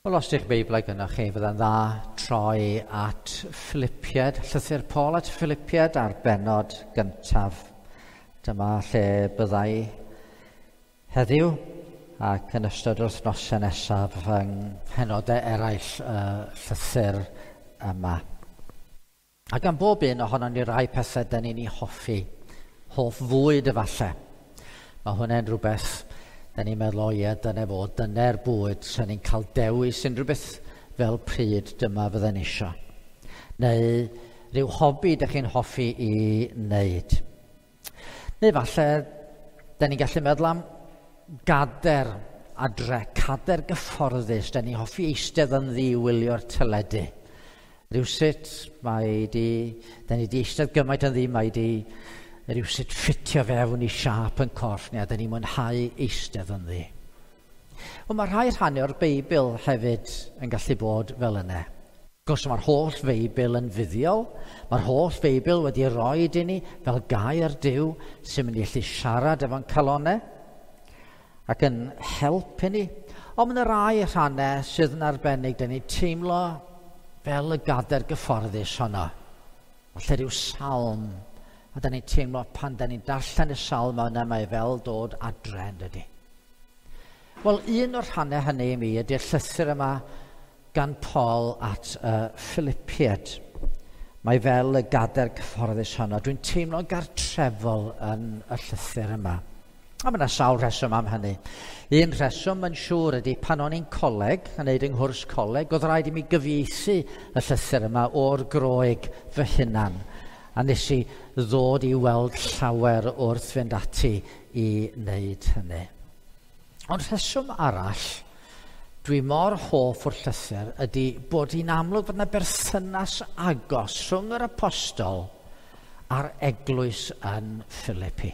Wel, os ydych Beiblau gynnwch chi, fydda'n dda troi at Philippiad, llythyr Paul at Philippiad a'r bennod gyntaf. Dyma lle byddai heddiw ac yn ystod yr wythnosau nesaf yng mhenodau eraill y llythyr yma. A gan bob un ohonon ni rai pethau dyn ni'n ei hoffi, hoff fwyd efallai. Mae hwnna'n rhywbeth da ni'n meddwl, o ie, dyna fo, dyna'r bwyd, sy'n ni'n cael dewis unrhyw beth fel pryd dyma fydden ni isio. Neu rhyw hobi ydych chi'n hoffi i wneud. Neu falle, da ni'n gallu meddwl am gader adre, cader gyfforddus, da ni'n hoffi eistedd yn ddi i wylio'r teledu. Rhywsut, mae di, da ni di eistedd gymaint yn ddi, mae di rhywsut ffitio fewn i siâp yn corff ni, a da ni'n mwynhau eistedd ynddi. Wel, mae rhai rhannau o'r Beibl hefyd yn gallu bod fel yna. Wrth gwrs, mae'r holl Feibl yn fuddiol, mae'r holl Feibl wedi roi i ni fel gair Duw sy'n mynd i allu siarad efo'n calonau ac yn helpu ni. Ond mae yna rai rhannau sydd yn arbennig, da ni'n teimlo fel y gader gyfforddus honno. Falle rhyw salm, a da ni'n teimlo pan da ni'n darllen y salm yna, mae fel dod adre, yn dydi? Wel, un o'r rhannau hynny i mi ydy'r llythyr yma gan Paul at y Philippiad. Mae fel y gader cyfforddus honno. Dwi'n teimlo gartrefol yn y llythyr yma. A mae yna sawl rheswm am hynny. Un rheswm yn siŵr ydy pan o'n i'n coleg, yn neud yng nghwrs coleg, oedd rhaid i mi gyfieithu y llythyr yma o'r Groeg fy hunan. A nes i ddod i weld llawer wrth fynd ati i wneud hynny. Ond rheswm arall, dwi mor hoff o'r llythyr ydy bod hi'n amlwg fod yna berthynas agos rhwng yr apostol a'r eglwys yn Philippi.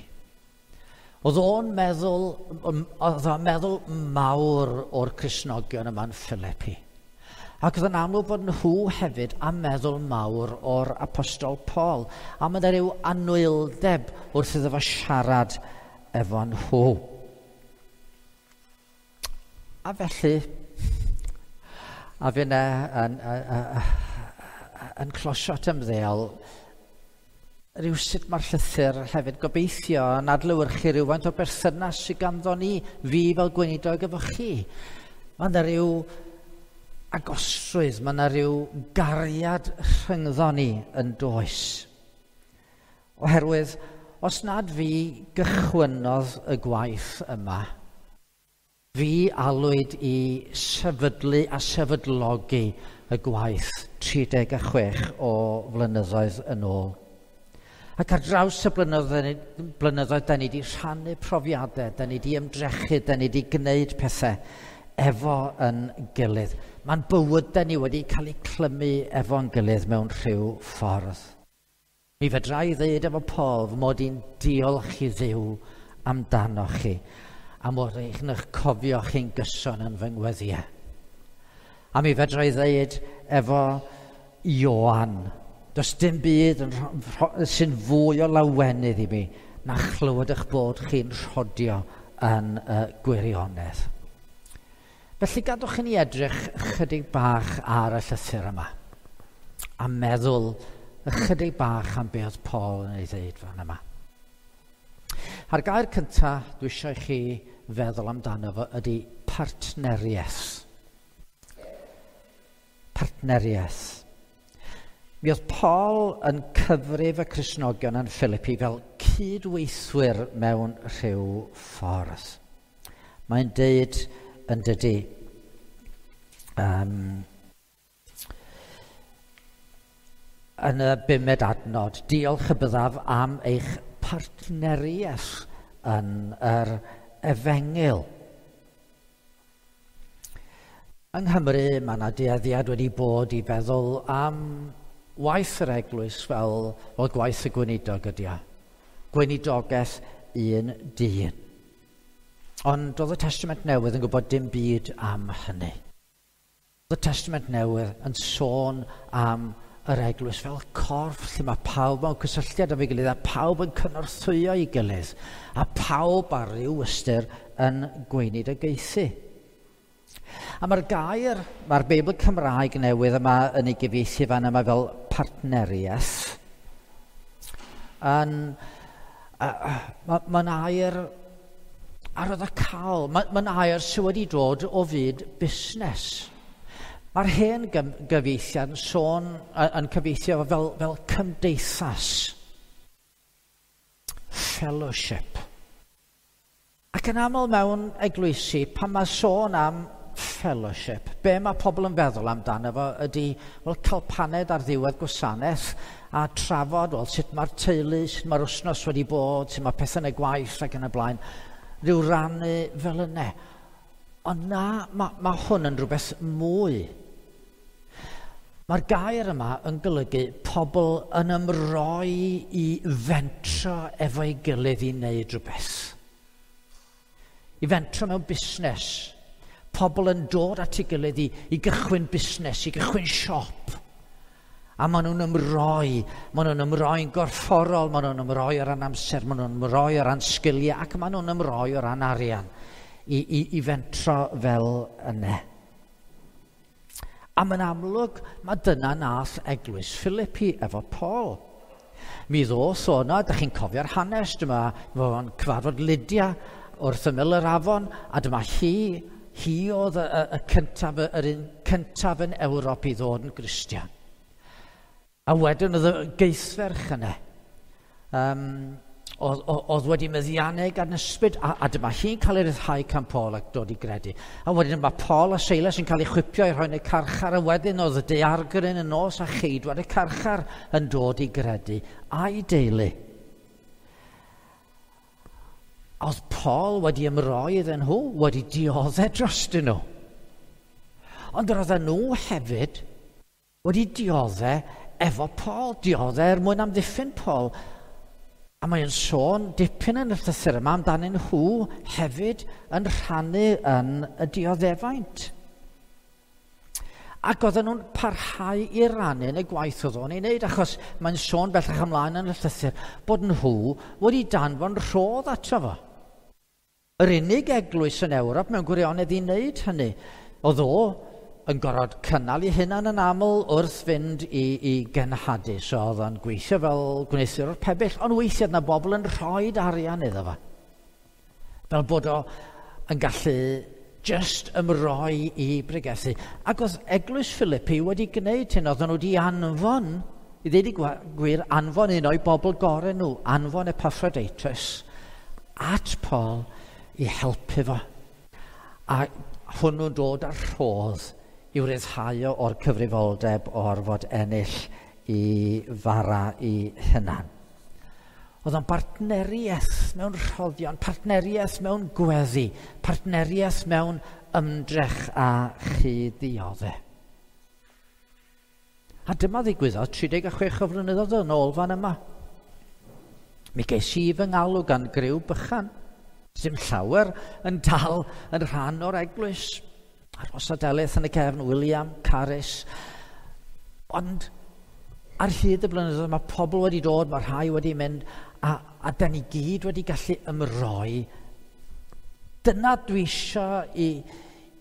Oedd o'n meddwl, oedd o'n meddwl mawr o'r Cristnogion yma'n Philippi. Ac oedd yn amlwg bod nhw hefyd am meddwl mawr o'r apostol Paul. A mae yna rhyw anwyldeb wrth iddo fo siarad efo nhw. A felly, a finne yn closio at ymddeol, rhywsut mae'r llythyr hefyd gobeithio yn adlewyrchu rhywfaint o berthynas sydd ganddo ni, fi fel gweinidog efo chi. Mae yna rhyw agosrwydd, mae yna rhyw gariad rhyngddo ni yn does. Oherwydd, os nad fi gychwynnodd y gwaith yma, fi alwyd i sefydlu a sefydlogi y gwaith 36 o flynyddoedd yn ôl. Ac ar draws y blynyddoedd, da ni wedi rhannu profiadau, da ni wedi ymdrechu, da ni wedi gwneud pethau efo yn gilydd. Mae'n bywydau ni wedi cael eu clymu efo'n gilydd mewn rhyw ffordd. Mi fedra i ddweud efo Paul fy mod i'n diolch i Dduw amdanoch chi, a mod i'n eich cofio chi'n gyson yn fy ngweddïau. A mi fedra i ddweud efo Ioan, does dim byd sy'n fwy o lawenydd i mi na chlywed eich bod chi'n rhodio yn y gwirionedd. Felly gadwch i ni edrych chydig bach ar y llythyr yma a meddwl ychydig bach am be oedd Paul yn ei ddeud fan yma. A'r gair cyntaf dwi eisiau i chi feddwl amdano fo ydy partneriaeth. Partneriaeth. Mi oedd Paul yn cyfrif y Cristnogion yn Philippi fel cydweithwyr mewn rhyw ffordd. Mae'n deud yn dydy, yn y bumed adnod, diolch y byddaf am eich partneriaeth yn yr efengyl. Yng Nghymru mae yna dueddiad wedi bod i feddwl am waith yr eglwys fel gwaith y gweinidog ydy o. Gweinidogaeth un dyn. Ond oedd y Testament Newydd yn gwybod dim byd am hynny. Oedd y Testament Newydd yn sôn am yr eglwys fel corff lle mae pawb mewn cysylltiad efo'i gilydd a pawb yn cynorthwyo ei gilydd a pawb ar ryw ystyr yn gweinidogaethu. A mae'r gair, mae'r Beibl Cymraeg newydd yma yn ei gyfieithu fan yma fel partneriaeth. Mae'n air arwyddocaol, mae'n air sydd wedi dod o fyd busnes. Mae'r hen gyfieithiad yn sôn, yn cyfieithio fel cymdeithas. Fellowship. Ac yn aml mewn eglwysi, pan mae sôn am fellowship, be mae pobl yn feddwl amdano fo ydy, wel, cael paned ar ddiwedd gwasanaeth a trafod, wel, sut mae'r teulu, sut mae'r wythnos wedi bod, sut mae pethau yn y gwaith ac yn y blaen, rhyw rannu fel yna. Ond na, mae hwn yn rhywbeth mwy. Mae'r gair yma yn golygu pobl yn ymroi i fentro efo'i gilydd i wneud rhywbeth. I fentro mewn busnes. Pobl yn dod at ei gilydd i gychwyn busnes, i gychwyn siop. A maen nhw'n ymroi, maen nhw'n ymroi'n gorfforol, maen nhw'n ymroi o ran amser, maen nhw'n ymroi o ran sgiliau, ac maen nhw'n ymroi o ran arian i fentro fel yna. A mae'n amlwg, mae dyna nath eglwys Philippi efo Paul. Mi ddoth o yna, da chi'n cofio'r hanes, dyma fo'n cyfarfod Lydia wrth ymyl yr afon, a dyma hi oedd y cyntaf, yr un cyntaf yn Ewrop i ddod yn Gristion. A wedyn oedd y geithferch yna, oedd wedi meddiannu gan ysbryd, a dyma hi'n cael ei ryddhau gan Paul ac dod i gredu. A wedyn mae Paul a Silas yn cael ei chwipio i rhoi yn y carchar, a wedyn oedd y daeargryn yn nos a cheidwad y carchar yn dod i gredu, a'i deulu. Oedd Paul wedi ymroi iddyn nhw, wedi dioddef drostyn nhw. Ond roedden nhw hefyd wedi dioddef efo Paul, dioddef er mwyn amddiffyn Paul. A mae'n sôn dipyn yn y llythyr yma amdanyn nhw hefyd yn rhannu yn y dioddefaint. Ac oedden nhw'n parhau i rannu yn y gwaith oedd o'n ei wneud, achos mae'n sôn bellach ymlaen yn y llythyr bod nhw wedi danfon rhodd ato fo. Yr unig eglwys yn Ewrop mewn gwirionedd i wneud hynny. Oedd o yn gorfod cynnal ei hunan yn aml wrth fynd i genhadu. So oedd o'n gweithio fel gwneuthurwr pebyll, ond weithiau oedd 'na bobl yn rhoi arian iddo fo. Fel bod o yn gallu just ymroi i bregethu. Ac oedd eglwys Philippi wedi gwneud hyn, oedden nhw wedi anfon, i ddweud y gwir, anfon un o'i bobl gorau nhw, anfon Epaphroditus at Paul i helpu fo. A hwnnw'n dod â'r rhodd i'w ryddhau o'r cyfrifoldeb o'r fod ennill i fara i hunan. Oedd o'n bartneriaeth mewn rhoddion, partneriaeth mewn gweddi, partneriaeth mewn ymdrech a chyd-dioddef. A dyma ddigwyddodd 36 o flynyddoedd yn ôl fan yma. Mi ges i fy ngalw gan griw bychan. Dim llawer yn dal yn rhan o'r eglwys. Aros a Delyth yn y cefn, William, Caris. Ond ar hyd y blynyddoedd mae pobl wedi dod, mae rhai wedi mynd, a da ni gyd wedi gallu ymroi. Dyna dwi eisiau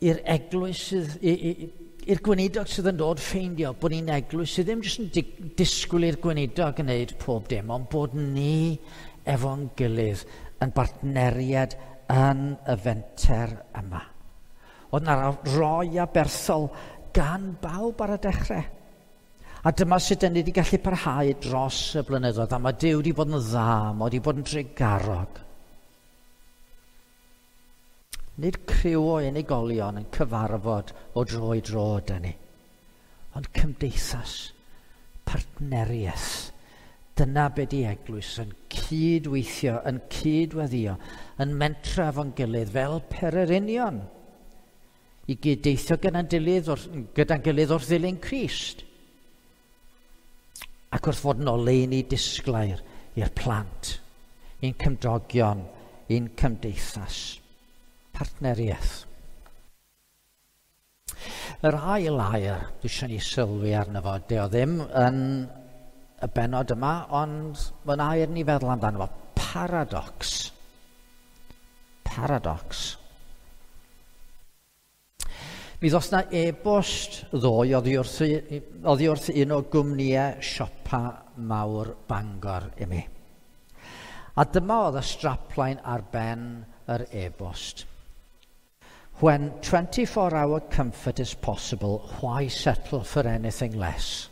i'r eglwys, i'r gweinidog sydd yn dod ffeindio bod ni'n eglwys sydd ddim jyst yn disgwyl i'r gweinidog gwneud pob dim, ond bod ni efo'n gilydd yn bartneriad yn y fenter yma. Oedd 'na roi aberthol gan bawb ar y dechrau. A dyma sut dan ni wedi gallu parhau dros y blynyddoedd, a mae Duw wedi bod yn dda, mae wedi bod yn drugarog. Nid criw o unigolion yn cyfarfod o dro i dro ydyn ni, ond cymdeithas, partneriaeth. Dyna be di eglwys, yn cydweithio, yn cydweddio, yn mentra efo'n gilydd fel pererinion, i gyddeithio gyda'n gilydd wrth ddilyn Crist. Ac wrth fod yn oleuni disglair i'r plant, i'n cymdogion, i'n cymdeithas. Partneriaeth. Yr ail air dwi eisiau ni sylwi arno fo, dio ddim yn y bennod yma, ond mae'n air ni feddwl amdano fo. Paradox. Paradox. Mi ddos na e-bost ddoe oddi wrth un o gwmnïau siopa mawr Bangor i mi. A dyma oedd y strapline ar ben yr e-bost. When 24-hour comfort is possible, why settle for anything less?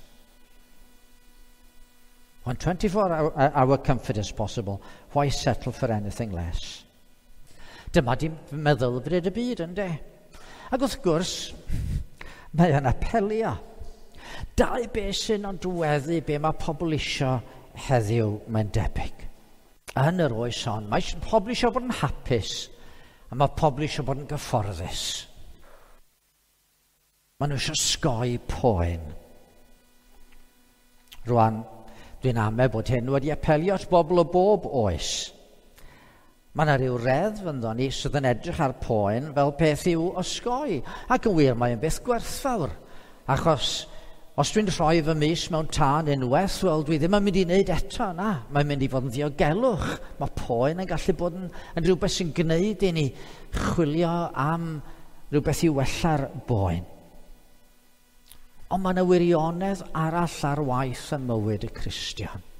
When 24-hour comfort is possible, why settle for anything less? Dyma di meddylfryd y byd, ynddo? Ac wrth gwrs, mae yn apelio. Dau beth sy'n nodweddu be mae pobl isio heddiw, mae'n debyg. Yn yr oes hon, mae pobl isio bod yn hapus, a mae pobl isio bod yn gyfforddus. Maen nhw eisiau sgoi poen. Rwan, dwi'n amau bod hyn wedi apelio at bobl o bob oes. Mae yna rhyw reddf ynddo ni sydd yn edrych ar poen fel peth i'w osgoi. Ac yn wir, mae'n beth gwerthfawr. Achos os dwi'n rhoi fy mys mewn tân unwaith, wel, dwi ddim yn mynd i wneud eto, na. Mae'n mynd i fod yn ddiogelwch. Mae poen yn gallu bod yn rhywbeth sy'n gwneud i ni chwilio am rhywbeth i wella'r boen. Ond mae yna wirionedd arall ar waith ym mywyd y Cristion.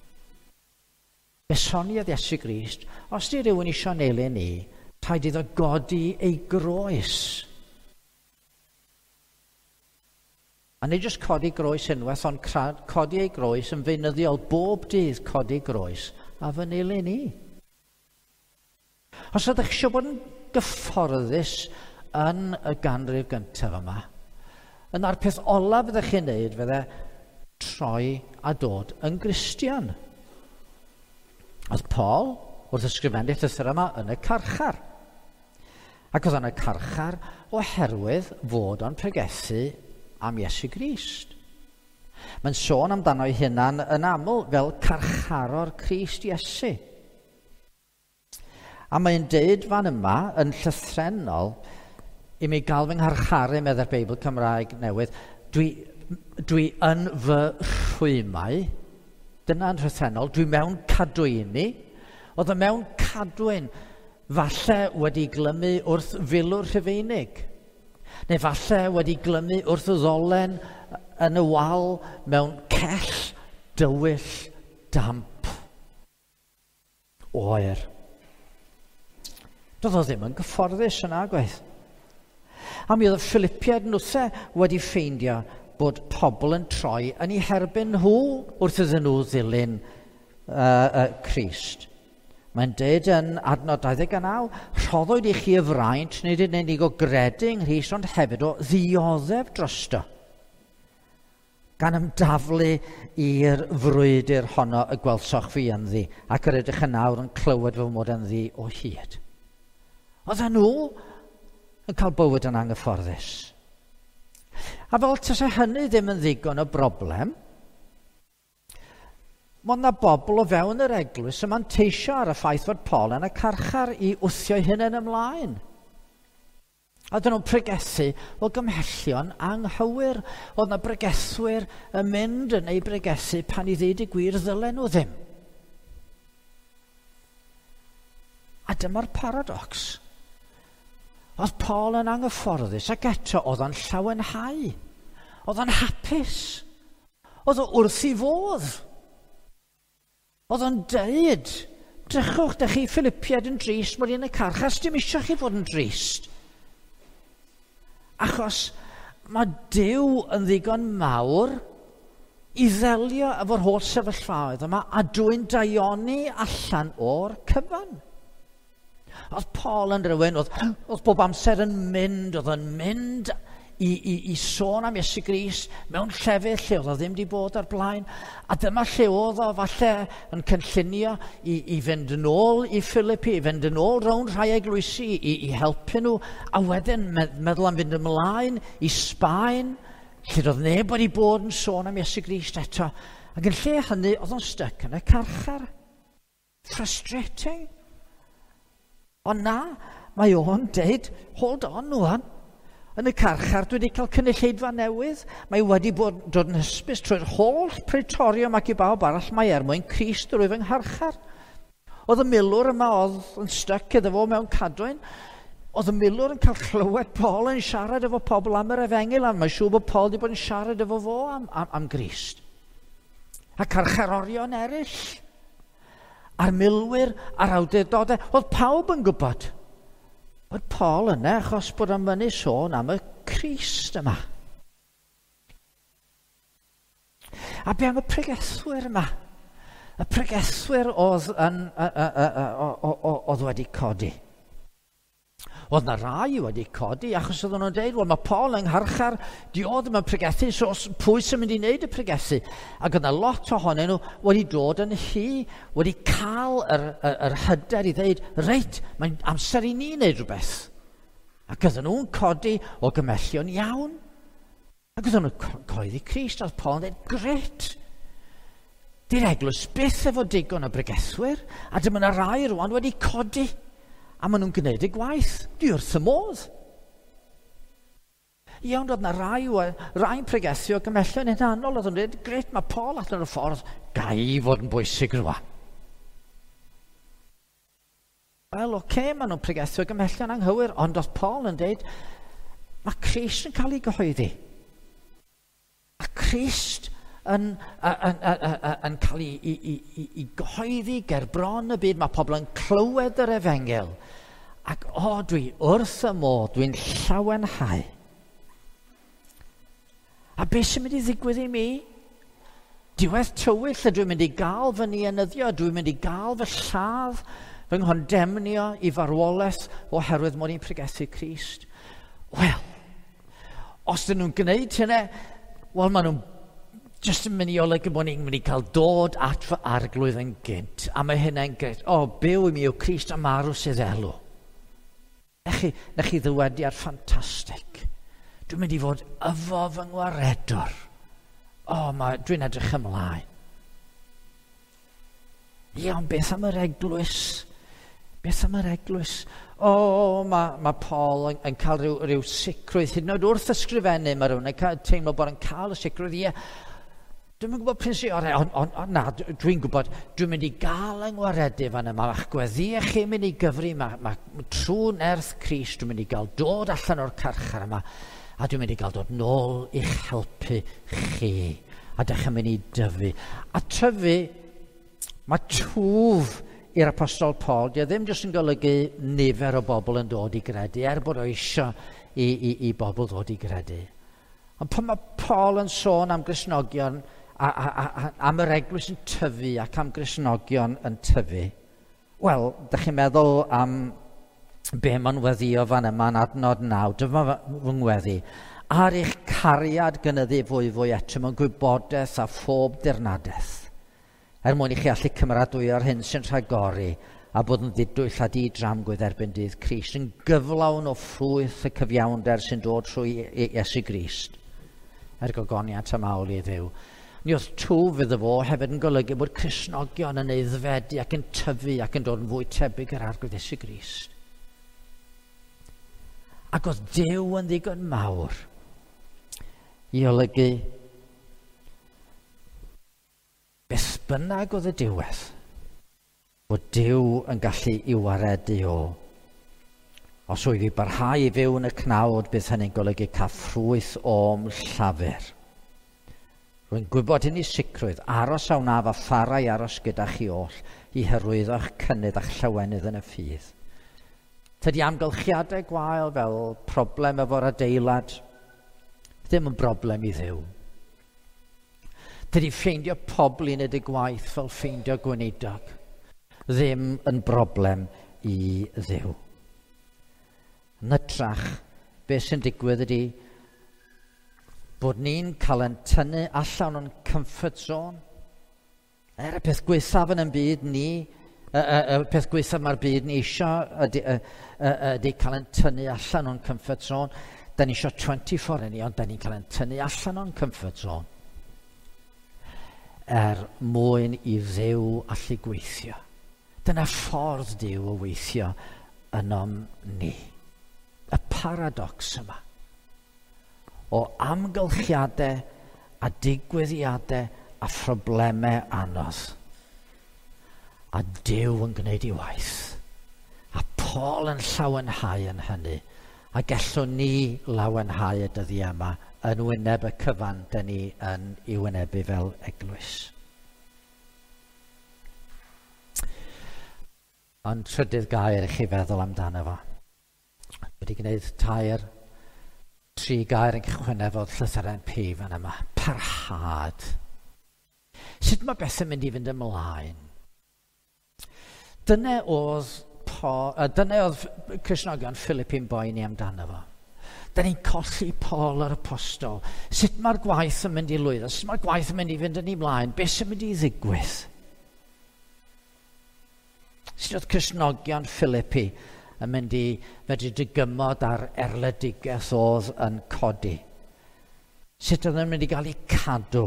Fe soniodd Iesu Grist, os di rhywun isio nelyn ni, rhaid iddo godi ei groes. A nid jyst codi groes unwaith, ond codi ei groes yn feunyddiol, bob dydd codi groes a fy nilyn i. Os ydych eisiau bod yn gyfforddus yn y ganrif gyntaf yma, yna'r peth olaf fyddech chi'n neud fydde troi a dod yn Gristion. Oedd Paul, wrth ysgrifennu llythyr yma, yn y carchar. Ac oedd yn y carchar oherwydd fod o'n pregethu am Iesu Grist. Mae'n sôn amdano ei hunan yn aml fel carcharor Crist Iesu. A mae'n deud fan yma yn llythrennol i mi gael fy ngharcharu, meddai'r Beibl Cymraeg newydd, dwi yn fy rhwymau. Dyna'n llythrennol, dwi mewn cadwyni. Oedd o mewn cadwyn, falle wedi glymu wrth filwr Rhufeinig, neu falle wedi glymu wrth y ddolen yn y wal mewn cell dywyll damp oer. Doedd o ddim yn gyfforddus yna, gwaith. A mi oedd y Philippiaid nhwthe wedi ffeindio bod pobl yn troi yn eu herbyn nhw wrth iddyn nhw ddilyn Crist. Mae'n deud yn adnod 29, rhoddwyd i chi y fraint, nid yn unig o gredu yng Nghrist, ond hefyd o ddioddef drosto, gan ymdaflu i'r frwydr honno y gwelsoch fi ynddi, ac yr ydych yn awr yn clywed fy mod ynddi o hyd. Oedden nhw yn cael bywyd yn anghyfforddus. A fel tase hynny ddim yn ddigon o broblem, mae yna bobl o fewn yr eglwys yn manteisio ar y ffaith fod Paul yn y carchar i wthio ei hunain ymlaen. A dyn nhw'n pregethu o gymhellion anghywir. Oedd yna bregethwyr yn mynd yn ei bregethu pan i ddeud y gwir ddylen nhw ddim. A dyma'r paradox. Oedd Paul yn anghyfforddus ac eto oedd o'n llawenhau. Oedd o'n hapus. Oedd o wrth ei fodd. Oedd o'n deud, drychwch, dych chi Philippiaid yn drist mod i yn y carchar, dim eisiau chi fod yn drist. Achos mae Duw yn ddigon mawr i ddelio efo'r holl sefyllfaoedd yma a dwy'n daioni allan o'r cyfan. Oedd Paul yn rhywun, oedd bob amser yn mynd, oedd yn mynd i sôn am Iesu Grist mewn llefydd lle oedd o ddim wedi bod ar blaen. A dyma lle oedd o falle yn cynllunio i fynd yn ôl i Philippi, i fynd yn ôl rownd rhai eglwysi, i helpu nhw, a wedyn meddwl am fynd ymlaen i Sbaen, lle doedd neb wedi bod yn sôn am Iesu Grist eto. Ac yn lle hynny, oedd o'n styc yn y carchar. Frustrating. Ond na, mae o'n deud, hold on rwan. Yn y carchar, dwi wedi cael cynulleidfa newydd. Mae wedi bod dod yn hysbys trwy'r holl Praetorium ac i bawb arall mae er mwyn Crist drwy fy ngharchar. Oedd y milwr yma oedd yn styc iddo fo mewn cadwyn. Oedd y milwr yn cael clywed Paul yn siarad efo pobl am yr efengyl, a mae'n siŵr bod Paul wedi bod yn siarad efo fo am Grist. A carcharorion eraill, a'r milwyr, a'r awdurdodau, oedd pawb yn gwybod bod Paul yna achos bod o'n mynnu sôn am y Crist yma. A be am y pregethwyr yma? Y pregethwyr oedd wedi codi. Oedd na rai wedi codi achos oedden nhw'n dweud, wel mae Paul yng ngharchar, di o ddim yn pregethu, so pwy sy'n mynd i wneud y pregethu? Ac oedd na lot ohonyn nhw wedi dod yn hy, wedi cael yr hyder i ddweud, reit, mae'n amser i ni wneud rhywbeth. Ac oedden nhw'n codi o gymellion iawn. Ac oedden nhw'n coeddi Crist, oedd Paul yn dweud, gret! Di'r eglwys byth efo digon o bregethwyr, a dyma na rai rwan wedi codi. A maen nhw'n gwneud y gwaith. Dwi wrth y modd. Iawn, oedd na rai'n pregethu o gymellion hunanol. Oedd nhw'n dweud, gret, mae Paul allan o'r ffordd, ga i fod yn bwysig rwan. Wel, oce, maen nhw'n pregethu o gymellion anghywir, ond oedd Paul yn dweud, mae Crist yn cael ei gyhoeddi. A Crist yn cael ei gyhoeddi ger bron y byd. Mae pobl yn clywed yr efengyl. Ac o, dwi wrth y modd, dwi'n llawenhau. A beth sy'n mynd i ddigwydd i mi? Diwedd tywyll, a dwi'n mynd i gael fy nienyddio, dwi'n mynd i gael fy lladd, fy nghondemnio i farwolaeth oherwydd mod i'n pregethu Crist. Wel, os dyn nhw'n gwneud hynny, wel, maen nhw'n jyst yn mynd i olygu bod ni'n mynd i cael dod at fy arglwydd yn gynt. A mae hynna'n gret. O, byw i mi yw Crist a marw sydd elw. Na chi ddywediad ffantastig. Dwi'n mynd i fod efo fy ngwaredwr. O, dwi'n edrych ymlaen. Ie, ond beth am yr eglwys? Beth am yr eglwys? O, mae Paul yn cael rhyw sicrwydd. Hyd yn oed wrth ysgrifennu, mae rhywun yn teimlo bod yn cael y sicrwydd. Ie, dwi'm yn gwybod prin sy'n orau, ond na, dwi'n gwybod, dwi'n mynd i gael yng ngwaredu fan yma, ma'ch gweddïau chi'n mynd i gyfri, mae trwy nerth Crist, dwi'n mynd i gael dod allan o'r carchar yma, a dwi'n mynd i gael dod nôl i'ch helpu chi, a dych chi'n mynd i dyfu. A tyfu, mae twf i'r Apostol Paul, di o ddim jyst yn golygu nifer o bobl yn dod i gredu, er bod o eisiau i bobl ddod i gredu. Ond pan mae Paul yn sôn am Gristnogion, am yr eglwys yn tyfu ac am Gristnogion yn tyfu, wel, dych chi'n meddwl am be mae'n weddio fan yma yn adnod 9, dyma fy ngweddi. Ar eich cariad gynyddu fwy fwy eto mewn gwybodaeth a phob dirnadaeth, er mwyn i chi allu cymeradwyo'r hyn sy'n rhagori a bod yn ddidwyll a di-dramgwydd erbyn dydd Crist, yn gyflawn o ffrwyth y cyfiawnder sy'n dod trwy Iesu Grist, er gogoniant a mawl i Dduw. Ni oedd twf iddo fo hefyd yn golygu bod Cristnogion yn aeddfedu ac yn tyfu ac yn dod yn fwy tebyg yr Arglwydd Iesu Grist. Ac oedd Duw yn ddigon mawr i olygu beth bynnag oedd y diwedd, bod Duw yn gallu i'w waredu o. Os oedd i barhau i fyw yn y cnawd, bydd hynny'n golygu cael ffrwyth o'm llafur. Rwy'n gwybod hyn i sicrwydd, aros a wnaf a pharau aros gyda chi oll i hyrwyddo'ch cynnydd a'ch llawenydd yn y ffydd. Tydi amgylchiadau gwael fel problem efo'r adeilad ddim yn broblem i Dduw. Tydi ffeindio pobl i wneud y gwaith fel ffeindio gweinidog ddim yn broblem i Dduw. Yn hytrach, beth sy'n digwydd ydy bod ni'n cael ein tynnu allan o'n comfort zone. Er y peth gwaethaf yn y byd ni, y peth gwaethaf mae'r byd ni eisiau ydy cael ein tynnu allan o'n comfort zone. Da ni eisiau 24 yn ni, ond da ni'n cael ein tynnu allan o'n comfort zone. Er mwyn i Dduw allu gweithio. Dyna ffordd Duw o weithio ynom ni. Y paradox yma o amgylchiadau a digwyddiadau a phroblemau anodd. A Duw yn gwneud ei waith. A Paul yn llawenhau yn hynny, a gallwn ni lawenhau y dyddiau yma yn wyneb y cyfan dyn ni yn ei wynebu fel eglwys. Ond trydydd gair i chi feddwl amdano fo. Wedi gwneud tri gair yn cychwyn efo'r llythyren P fan yma. Parhad. Sut mae bethau'n mynd i fynd ymlaen? Dyna oedd Cristnogion Philippi'n boeni amdano fo. Da ni'n colli Paul yr apostol. Sut mae'r gwaith yn mynd i lwyddo? Sut mae'r gwaith yn mynd i fynd yn ei mlaen? Beth sy'n mynd i ddigwydd? Sut oedd Cristnogion Philippi yn mynd i medru dygymod ar erledigaeth oedd yn codi? Sut oedd yn mynd i gael eu cadw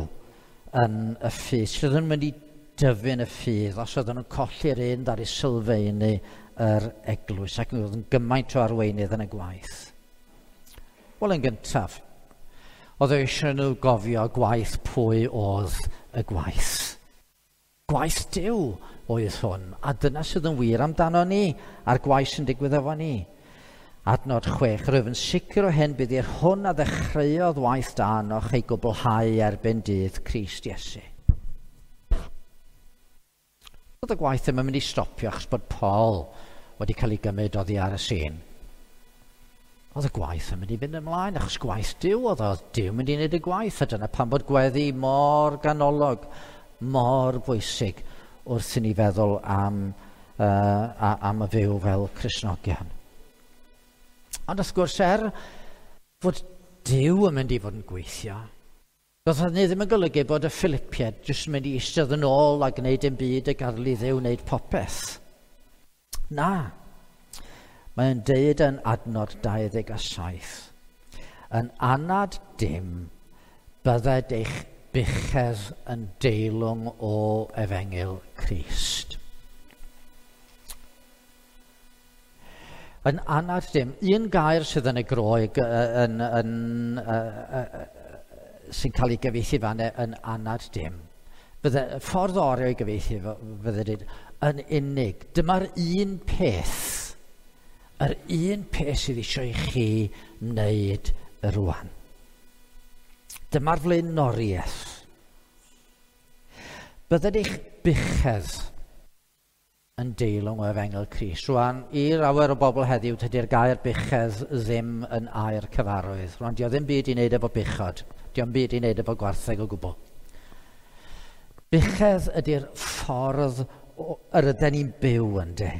yn y ffydd? Sut oedd yn mynd i dyfu yn y ffydd os oedden nhw'n colli'r un dar i sylfaenu yr eglwys ac oedd yn gymaint o arweinydd yn y gwaith? Wel, yn gyntaf, oedd eisiau nhw gofio gwaith pwy oedd y gwaith. Gwaith Duw oedd hwn, a dyna sydd yn wir amdano ni, a'r gwaith sy'n digwydd efo ni. Adnod 6, rwyf yn sicr o hyn bydd i'r hwn a ddechreuodd waith da arnoch ei gwblhau erbyn dydd Crist Iesu. Oedd y gwaith ddim yn mynd i stopio achos bod Paul wedi cael ei gymryd oddi ar y sîn. Oedd y gwaith yn mynd i fynd ymlaen, achos gwaith Duw oedd Duw mynd i wneud y gwaith, a dyna pam bod gweddi mor ganolog, mor bwysig wrth i ni feddwl am y fyw fel Cristnogion. Ond wrth gwrs, fod Duw yn mynd i fod yn gweithio, doedd hynny ddim yn golygu bod y Philippiaid jyst yn mynd i eistedd yn ôl a gwneud dim byd a gadael i Dduw wneud popeth. Na. Mae'n deud yn adnod 27, yn anad dim, bydded eich buchedd yn deilwng o efengyl Crist. Yn anad dim, un gair sydd yn y Groeg sy'n cael ei gyfieithu fan yn anad dim. Bydde, ffordd orau o'i gyfieithu fydde dweud, yn unig. Dyma'r un peth. Yr un peth sydd eisiau i chi wneud rwan. Dyma'r flaenoriaeth. Bydded eich buchedd yn deilwng o efengyl Crist. Rwan, i lawer o bobl heddiw, tydi'r gair buchedd ddim yn air cyfarwydd. Rwan, dio ddim byd i wneud efo buchod. Dio'm byd i wneud efo gwartheg o gwbl. Buchedd ydy'r ffordd yr ydyn ni'n byw ynddo.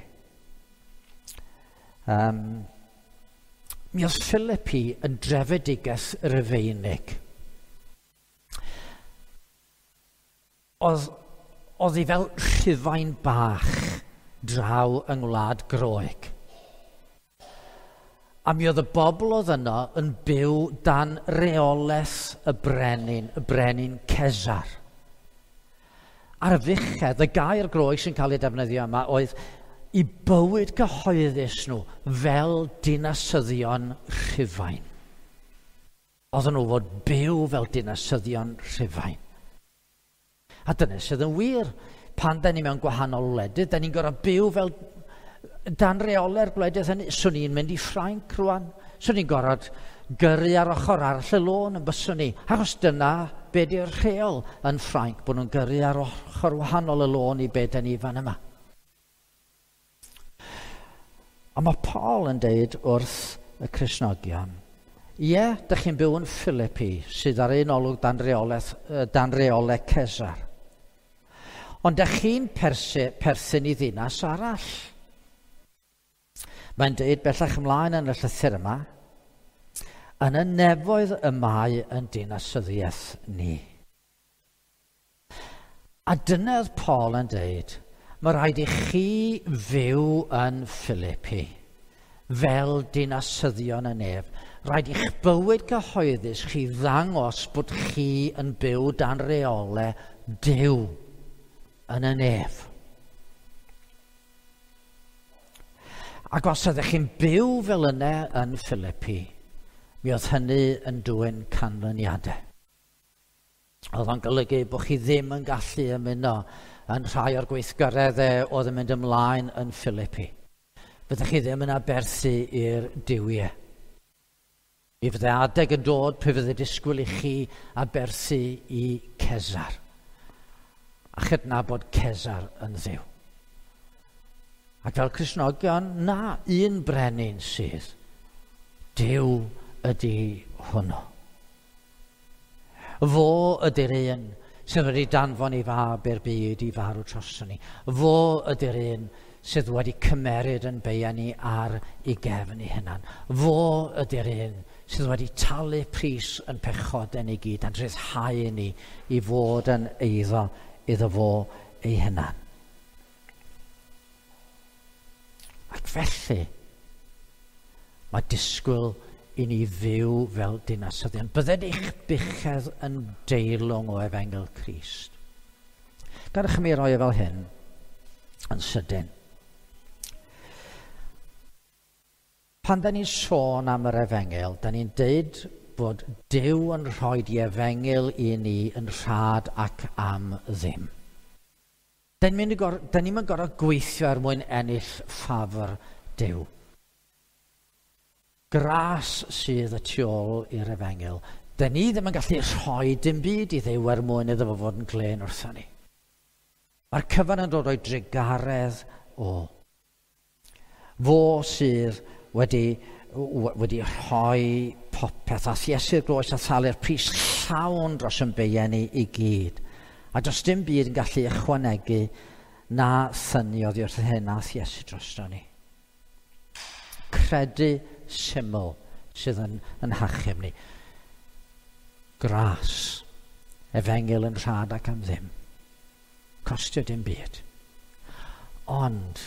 Mi oedd Philippi yn drefedigaeth Rufeinig. Oedd hi fel Rhufain bach draw yng Ngwlad Groeg. A mi oedd y bobl oedd yno yn byw dan reolaeth y brenin Cesar. A'r fuchedd, y gair Groeg sy'n cael ei defnyddio yma, oedd i bywyd cyhoeddus nhw fel dinasyddion Rhufain. Oedden nhw fod byw fel dinasyddion Rhufain. A dyna sydd yn wir. Pan da ni mewn gwahanol wledydd, da ni'n gorfod byw fel dan reolau'r gwledydd hynny. Swn i'n mynd i Ffrainc rwan. Swn i'n gorfod gyrru ar ochr arall y lôn yn byswn ni. Achos dyna be di'r rheol yn Ffrainc, bod nhw'n gyrru ar ochr wahanol y lôn i be da ni fan yma. A mae Paul yn deud wrth y Cristnogion, ie, dych chi'n byw yn Philippi, sydd ar un olwg dan reolaeth Cesar. Ond dych chi'n perthyn i ddinas arall. Mae'n deud bellach ymlaen yn y llythyr yma, yn y nefoedd y mae yn dinasyddiaeth ni. A dyna oedd Paul yn deud, mae rhaid i chi fyw yn Philippi fel dinasyddion y nef. Rhaid i'ch bywyd cyhoeddus chi ddangos bod chi yn byw dan reolau Duw yn y nef. Ac os ydych chi'n byw fel yna yn Philippi, mi oedd hynny yn dwyn canlyniadau. Oedd o'n golygu bod chi ddim yn gallu ymuno yn rhai o'r gweithgareddau oedd yn mynd ymlaen yn Philippi. Fyddech chi ddim yn aberthu i'r duwiau. Mi fydde adeg yn dod pe fydde disgwyl i chi aberthu i Cesar. A chydnabod Cesar yn Dduw. Ac fel Cristnogion, na, un brenin sydd. Duw ydy hwnnw. Fo ydy'r un sydd wedi danfon ei fab i'r byd i farw droson ni. Fo ydy'r un sydd wedi cymeryd yn beia ni ar ei gefn ei hunan. Fo ydy'r un sydd wedi talu pris yn pechodau ni gyd a'n rhyddhau ni i fod yn eiddo iddo fo ei hunan. Ac felly, mae disgwyl i ni fyw fel dinasyddion. Bydded eich buchedd yn deilwng o Efengyl Crist. Gadewch i mi roi e fel hyn yn sydyn. Pan da ni'n sôn am yr Efengyl, da ni'n deud bod Duw yn rhoi di Efengyl i ni yn rhad ac am ddim. Da ni'n mynd gorfod gweithio er mwyn ennill ffafr Duw. Gras sydd y tu ôl i'r Efengyl. Da ni ddim yn gallu rhoi dim byd i Dduw er mwyn iddo fo fod yn glên wrthon ni. Mae'r cyfan yn dod o'i drugaredd o. Fo sydd wedi rhoi popeth a Iesu'r groes a thalu'r pris llawn dros yn beiau ni i gyd. A does dim byd yn gallu ychwanegu na thynnu oddi wrth hyn a Iesu drosto ni. Credu syml sydd yn hachub ni. Gras, Efengyl yn rhad ac am ddim. Costio dim byd. Ond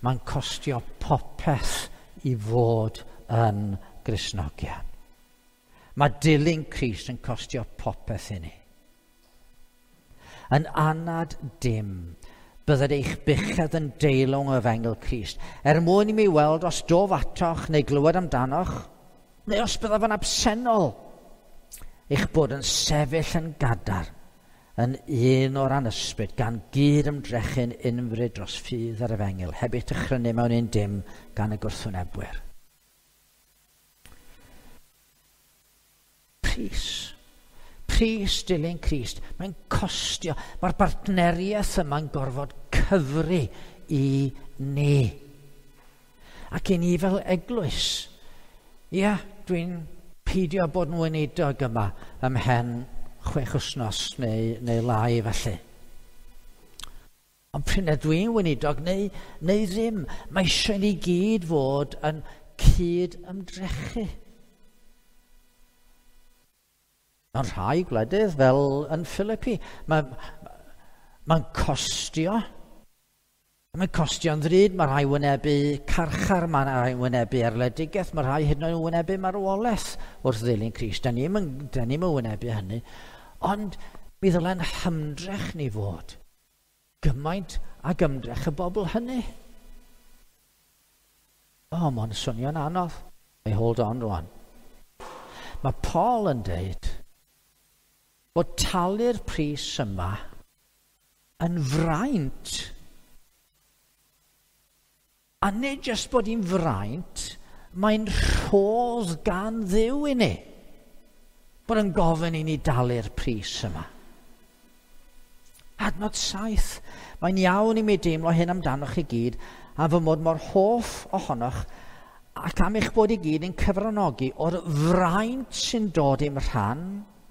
mae'n costio popeth i fod yn Gristnogion. Mae dilyn Crist yn costio popeth i ni. Yn anad dim, bydded eich buchedd yn deilwng o Efengyl Crist, er mwyn i mi weld os dof atoch neu glywed amdanoch, neu os byddaf yn absennol, eich bod yn sefyll yn gadarn, yn un o'r anysbryd, gan gyd ymdrechu'n unfryd dros ffydd yr Efengyl, heb eich dychrynu mewn un dim gan y gwrthwynebwyr. Pris. Pris dilyn Crist. Mae'n costio. Mae'r bartneriaeth yma'n gorfod cyfri i ni. Ac i ni fel eglwys. Ia, dwi'n peidio bod yn weinidog yma ymhen 6 wythnos neu lai felly. Ond pryd dwi'n weinidog neu ddim, mae eisiau ni gyd fod yn cyd ymdrechu. Mewn rhai gwledydd, fel yn Philippi, mae'n costio. Mae'n costio'n ddrud, mae rhai wynebu carchar, mae rhai wynebu erledigaeth, mae rhai hyd yn oed yn wynebu marwolaeth wrth ddilyn Crist. Da ni'm yn wynebu hynny, ond mi ddyle'n hymdrech ni fod gymaint ag ymdrech y bobl hynny. O, mae'n swnio'n anodd. Hey, hold on rwan. Mae Paul yn deud bod talu'r pris yma yn fraint. A nid jyst bod hi'n fraint, mae'n rhodd gan Dduw i ni. Bod yn gofyn i ni dalu'r pris yma. Adnod 7. Mae'n iawn i mi deimlo hyn amdanoch chi gyd, a fy mod mor hoff ohonoch, ac am eich bod i gyd yn cyfranogi o'r fraint sy'n dod i'm rhan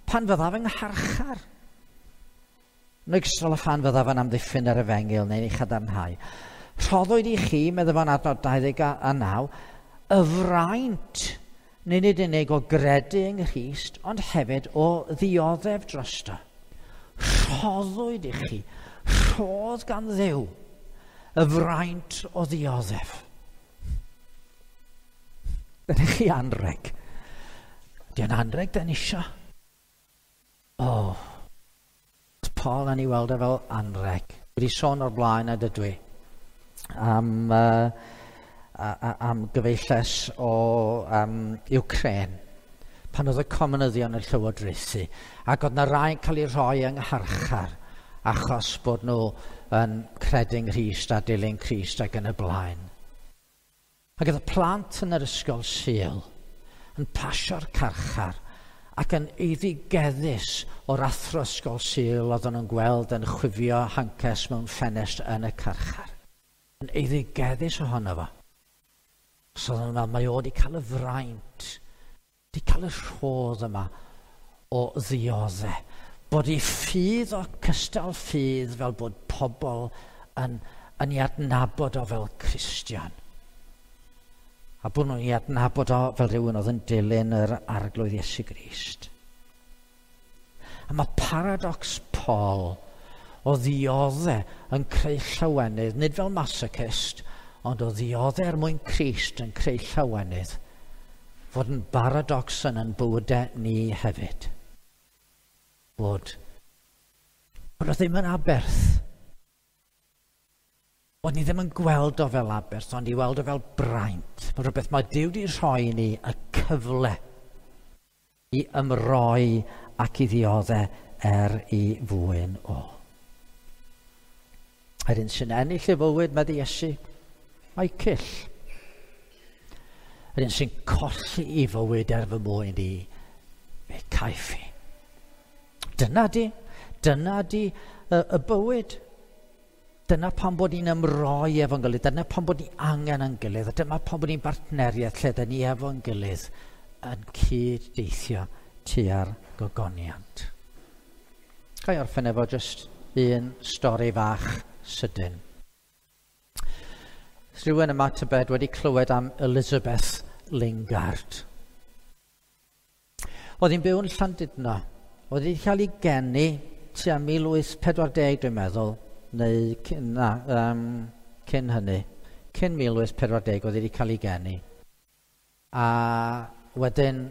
pan fyddaf yng ngharchar. Yn ogystal â phan fyddaf yn amddiffyn yr Efengyl neu'n ei chadarnhau. Rhoddwyd i chi, meddai fo'n adnod 29, y fraint, nid yn unig o gredu yng Nghrist, ond hefyd o ddioddef drosto. Rhoddwyd i chi, rhodd gan Dduw, y fraint o ddioddef. Dyna chi anreg. Di'n anreg dyn isio. O, Paul yn ei weld e fel anreg. Wedi sôn o'r blaen a dydw i am gyfeilles o Ukraine pan oedd y comunyddion yn llywodraethu, ac oedd na rai'n cael eu rhoi yng ngharchar achos bod nhw yn credu yng Nghrist a dilyn Crist ac yn y blaen. Ac oedd y plant yn yr ysgol Sul yn pasio'r carchar ac yn eiddigeddus o'r athro ysgol Sul oedden nhw'n gweld yn chwifio hances mewn ffenest yn y carchar. Yn eiddigeddus ohono fo. So oedden nhw'n meddwl, mae o wedi cael y fraint, wedi cael y rhodd yma o ddioddau. Bod ei ffydd o cystal ffydd fel bod pobl yn ei adnabod o fel Cristion. A bod nhw'n ei adnabod o fel rhywun oedd yn dilyn yr Arglwydd Iesu Grist. A mae paradox Paul o ddioddau yn creu llawenydd, nid fel masochist, ond o ddioddau er mwyn Crist yn creu llawenydd, fod yn baradox yn ein bywydau ni hefyd. Bod o ddim yn aberth. Bod ni ddim yn gweld o fel aberth, ond i weld o fel braint. Mae rhywbeth mae Duw wedi rhoi ni y cyfle i ymroi ac i ddioddau er i fwyn o. Yr un sy'n ennill ei fywyd, medde Iesu, mae cyll. Yr un sy'n colli ei fywyd er fy mwyn i, fe caiff i. Dyna di y bywyd. Dyna pam bod ni'n ymroi efo'n gilydd, dyna pam bod ni angen yn gilydd, a dyma pam bod ni'n bartneriaeth lle dyn ni efo'n gilydd yn cyd-deithio tua'r gogoniant. Ga i orffen efo jyst un stori fach sydyn. Rhywun yma tybed wedi clywed am Elizabeth Lingard. Oedd hi'n byw yn Llandudno. Oedd hi'n cael ei geni tua 1840 dwi'n meddwl, neu cyn hynny. Cyn 1840 oedd hi wedi cael ei geni. A wedyn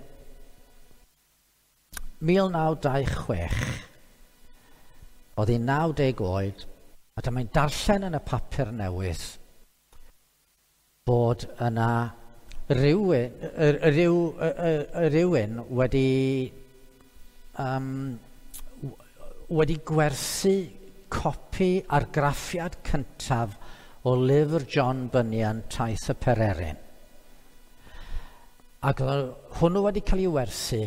1926 oedd hi'n 90 oed, a dyma'n darllen yn y papur newydd bod yna rhywun wedi gwerthu copi argraffiad cyntaf o lyfr John Bunyan, Taith y Pererin. Ac hwnnw wedi cael ei werthu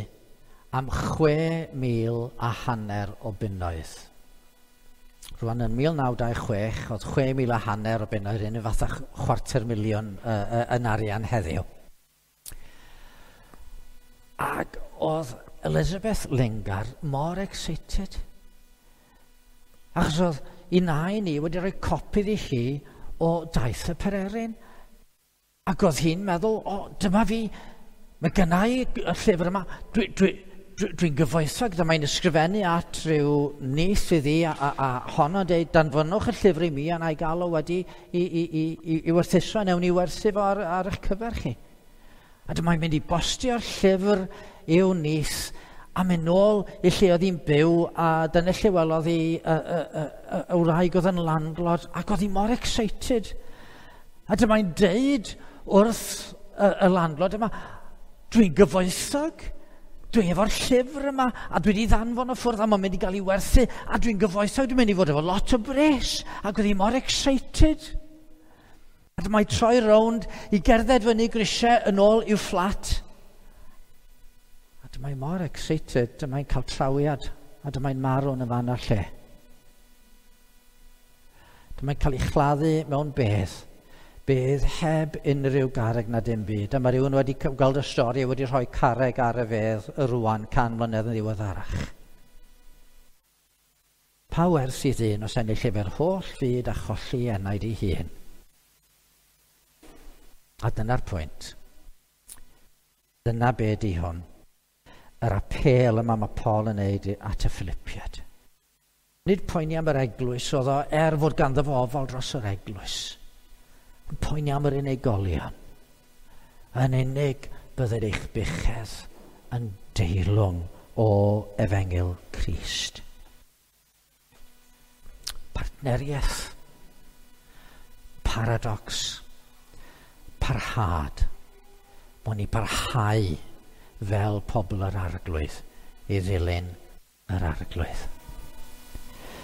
am 6,500 o bunnoedd. Rwan yn 1926, oedd 6,500 o bunnoedd, un fath â 250,000 yn arian heddiw. Ac oedd Elizabeth Lingard mor excited. Achos oedd ei nain i wedi rhoi copi iddi hi o Daith y Pererin. Ac oedd hi'n meddwl, o, dyma fi, mae gynna i y llyfr yma, dwi'n gyfoethog, dyma i'n ysgrifennu at rhyw nith iddi a honno dweud, danfonwch y llyfr i mi a na i gael o wedi i werthuso, a newn ni werthu fo ar eich cyfer chi. A dyma i'n mynd i bostio'r llyfr i'w nith a mynd nôl i lle oedd hi'n byw, a dyna lle welodd hi y wraig oedd yn landlord, ac oedd hi mor excited. A dyma i'n deud wrth y landlord yma, dwi'n gyfoethog, dwi efo'r llyfr yma, a dwi wedi ddanfon o ffwrdd, a mae'n mynd i gael ei werthu, a dwi'n gyfoethog, dwi'n mynd i fod efo lot o bres, ac oedd hi mor excited. A dyma i troi rownd i gerdded fyny grisiau yn ôl i'w fflat. A dyma i mor excited, dyma i'n cael trawiad, a dyma i'n marw yn y fan a'r lle. Dyma i'n cael ei chladdu mewn bedd heb unrhyw garreg na dim byd. A mae rhywun wedi gweld y stori wedi rhoi carreg ar y fedd y rwan 100 mlynedd yn ddiweddarach. Pa werth i ddyn os ennill efo'r holl fyd a cholli enaid ei hun? A dyna'r pwynt. Dyna be di hwn. Yr apêl yma mae Paul yn neud at y Philippiaid. Nid poeni am yr eglwys oedd o, er fod ganddo fo ofal dros yr eglwys. Yn poeni am yr unigolion. Yn unig bydded eich buchedd yn deilwng o Efengyl Crist. Partneriaeth. Paradox. Parhad. Bod ni parhau fel pobl yr Arglwydd i ddilyn yr Arglwydd.